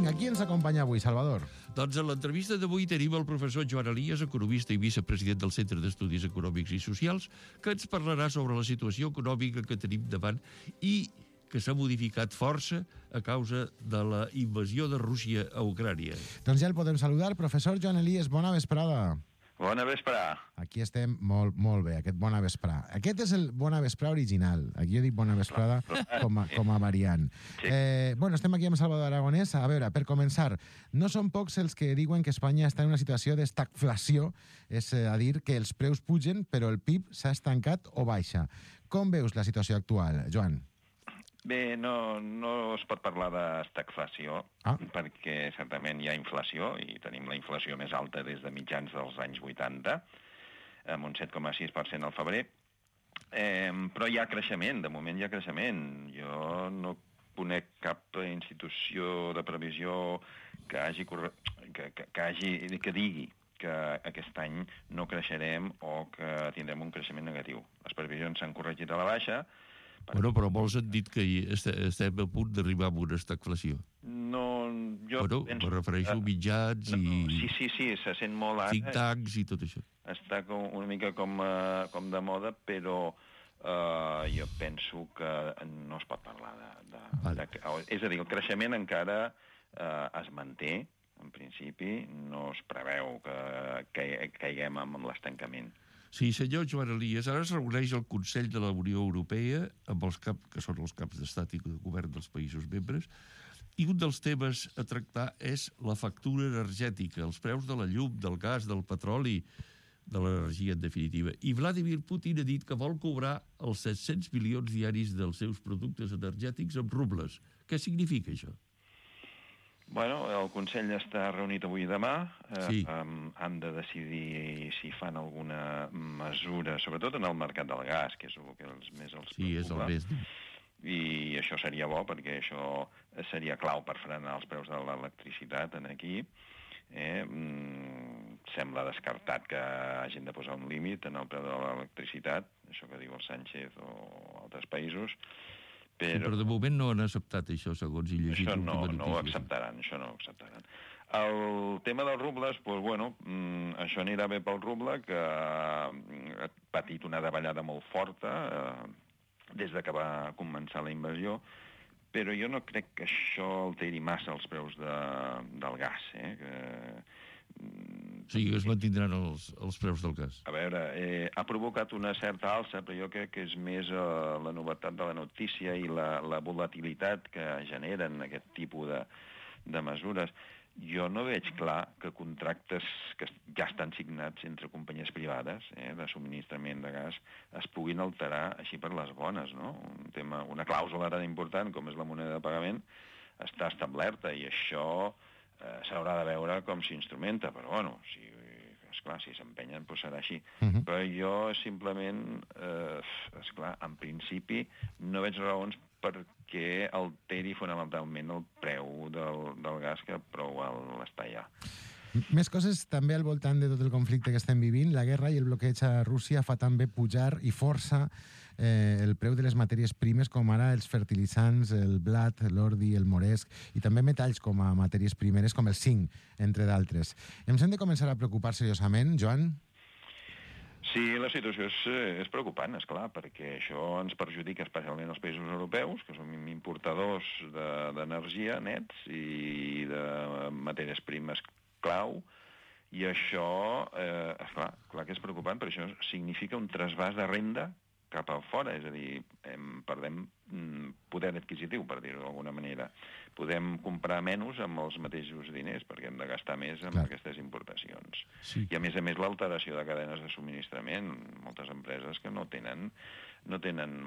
Vinga, qui ens acompanya avui, Salvador? Doncs en l'entrevista d'avui tenim el professor Joan Elias, economista i vicepresident del Centre d'Estudis Econòmics i Socials, que ens parlarà sobre la situació econòmica que tenim davant i que s'ha modificat força a causa de la invasió de Rússia a Ucrània. Doncs ja el podem saludar. Professor Joan Elias, bona vesprada. Bona vesprà. Aquí estem molt bé, aquest bona vesprà. Aquest és el bona vesprà original. Aquí jo dic bona vesprada com a variant. Sí. Bueno, estem aquí amb Salvador Aragonès. A veure, per començar, no són pocs els que diuen que Espanya està en una situació d'estagflació, és a dir, que els preus pugen, però el PIB s'ha estancat o baixa. Com veus la situació actual, Joan? Bé, no es pot parlar d'estagflació, perquè certament hi ha inflació, i tenim la inflació més alta des de mitjans dels anys 80, amb un 7,6% al febrer, però hi ha creixement, de moment hi ha creixement. Jo no conec cap institució de previsió que digui que aquest any no creixerem o que tindrem un creixement negatiu. Les previsions s'han corregit a la baixa. Bueno, però molts han dit que estem a punt d'arribar a una estagflació. No, jo penso... Me refereixo a mitjans i... Sí, se sent molt ara. Think tanks i tot això. Està una mica com de moda, però jo penso que no es pot parlar de... És a dir, el creixement encara es manté, en principi, no es preveu que caiguem amb l'estancament. Sí, senyor Joan Elias, ara es reuneix el Consell de la Unió Europea, amb els que són els caps d'estat i de govern dels països membres, i un dels temes a tractar és la factura energètica, els preus de la llum, del gas, del petroli, de l'energia en definitiva. I Vladimir Putin ha dit que vol cobrar els 700 milions diaris dels seus productes energètics amb rubles. Què significa això? Bueno, el Consell està reunit avui i demà. Sí. Han de decidir si fan alguna mesura, sobretot en el mercat del gas, que és el que més els preocupa. Sí, és el més... I això seria bo, perquè això seria clau per frenar els preus de l'electricitat aquí. Sembla descartat que hagin de posar un límit en el preu de l'electricitat, això que diu el Sánchez o altres països. Però de moment no han acceptat això, segons he llegit. Això no ho acceptaran, El tema dels rubles, doncs, bueno, això anirà bé pel ruble, que ha patit una davallada molt forta des de que va començar la invasió, però jo no crec que això alteri massa els preus del gas, Sí, que es mantindran els preus del gas. A veure, ha provocat una certa alça, però jo crec que és més la novetat de la notícia i la volatilitat que generen aquest tipus de mesures. Jo no veig clar que contractes que ja estan signats entre companyies privades de subministrament de gas es puguin alterar així per les bones, no? Una clàusula tan important com és la moneda de pagament està establerta i això s'haurà de veure com s'instrumenta, però bueno, esclar, si s'empenyen doncs serà així. Però jo simplement, esclar, en principi no veig raons perquè alteri fonamentalment el preu del gas que prou està ja. Més coses també al voltant de tot el conflicte que estem vivint. La guerra i el bloqueig a Rússia fa també pujar i força el preu de les matèries primes, com ara els fertilitzants, el blat, l'ordi, el moresc, i també metalls com a matèries primeres, com el zinc, entre d'altres. Ens hem de començar a preocupar seriosament, Joan? Sí, la situació és preocupant, esclar, perquè això ens perjudica especialment els països europeus, que som importadors d'energia nets i de matèries primes clau, i això, clar que és preocupant, però això significa un trasbàs de renda cap a fora, és a dir, perdem poder adquisitiu, per dir-ho d'alguna manera. Podem comprar menys amb els mateixos diners, perquè hem de gastar més amb aquestes importacions. Sí. I a més l'alteració de cadenes de subministrament, moltes empreses que no tenen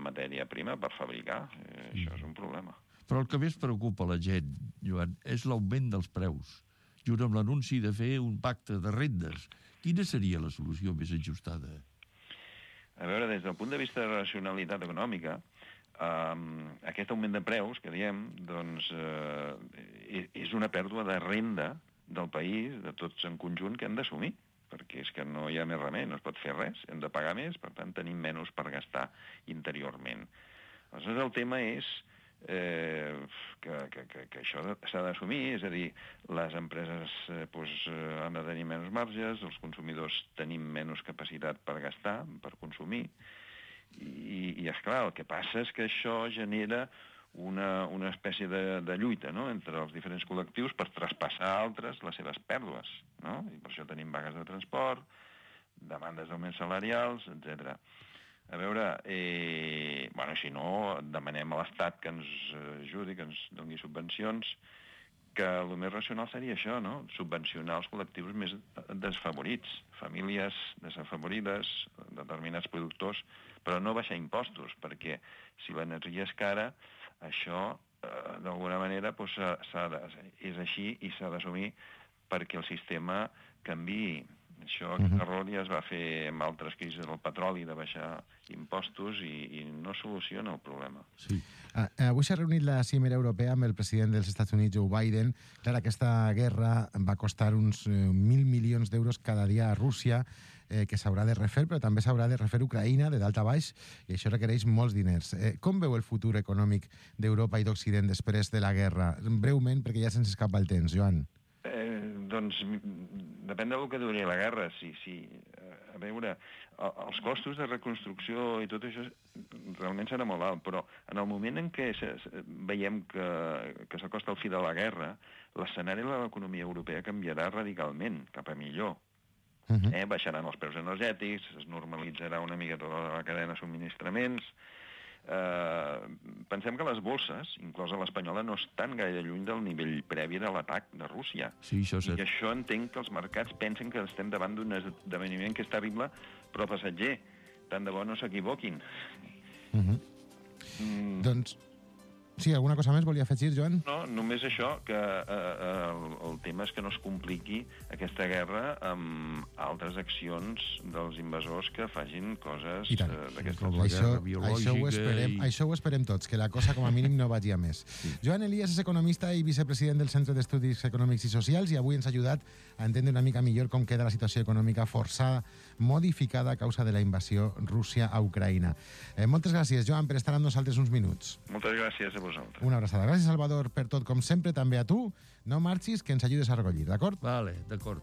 matèria prima per fabricar, això és un problema. Però el que més preocupa la gent, Joan, és l'augment dels preus, junt amb l'anunci de fer un pacte de rendes. Quina seria la solució més ajustada? A veure, des del punt de vista de racionalitat econòmica, aquest augment de preus, que diem, doncs, és una pèrdua de renda del país, de tots en conjunt, que hem d'assumir, perquè és que no hi ha més remei, no es pot fer res, hem de pagar més, per tant tenim menys per gastar interiorment. Aleshores el tema és que això s'ha d'assumir, és a dir, les empreses han de tenir menys marges, els consumidors tenim menys capacitat per gastar, per consumir, i esclar, el que passa és que això genera una espècie de lluita, no?, entre els diferents col·lectius per traspassar a altres les seves pèrdues, no? I per això tenim vagues de transport, demandes d'augments salarials, etc. A veure, si no, demanem a l'Estat que ens ajudi, que ens doni subvencions, que el més racional seria això, no?, subvencionar els col·lectius més desfavorits, famílies desafavorides, determinats productors, però no baixar impostos, perquè si l'energia és cara, això, d'alguna manera, és així i s'ha d'assumir perquè el sistema canviï. Això error ja es va fer amb altres crisis del petroli, de baixar impostos, i no soluciona el problema. Sí. Avui s'ha reunit la cimera europea amb el president dels Estats Units, Joe Biden. Clar, aquesta guerra va costar uns 1.000 milions d'euros cada dia a Rússia, que s'haurà de refer, però també s'haurà de refer Ucraïna, de dalt a baix, i això requereix molts diners. Com veu el futur econòmic d'Europa i d'Occident després de la guerra? Breument, perquè ja se'ns escapa el temps, Joan. Doncs depèn del que duri la guerra. A veure, els costos de reconstrucció i tot això realment serà molt alt, però en el moment en què veiem que s'acosta el fi de la guerra, l'escenari de l'economia europea canviarà radicalment, cap a millor. Baixaran els preus energètics, es normalitzarà una mica tota la cadena de subministraments. Pensem que les bolses, inclosa l'espanyola, no estan gaire lluny del nivell previ de l'atac de Rússia. Sí, això és cert. I això entenc que els mercats pensen que estem davant d'un esdeveniment que és terrible, però passatger. Tant de bo no s'equivoquin. Doncs, sí, alguna cosa més volia afegir, Joan? No, només això, que el tema és que no es compliqui aquesta guerra amb altres accions dels invasors que facin coses d'aquestes. Això ho esperem tots, que la cosa com a mínim no vagi a més. Joan Elias és economista i vicepresident del Centre d'Estudis Econòmics i Socials, i avui ens ha ajudat a entendre una mica millor com queda la situació econòmica forçada, modificada a causa de la invasió Rússia a Ucraïna. Moltes gràcies, Joan, per estar amb nosaltres uns minuts. Moltes gràcies a vosaltres. Una abraçada. Gràcies, Salvador, per tot, com sempre, també a tu. No marxis, que ens ajudes a recollir, d'acord? Vale, d'acord.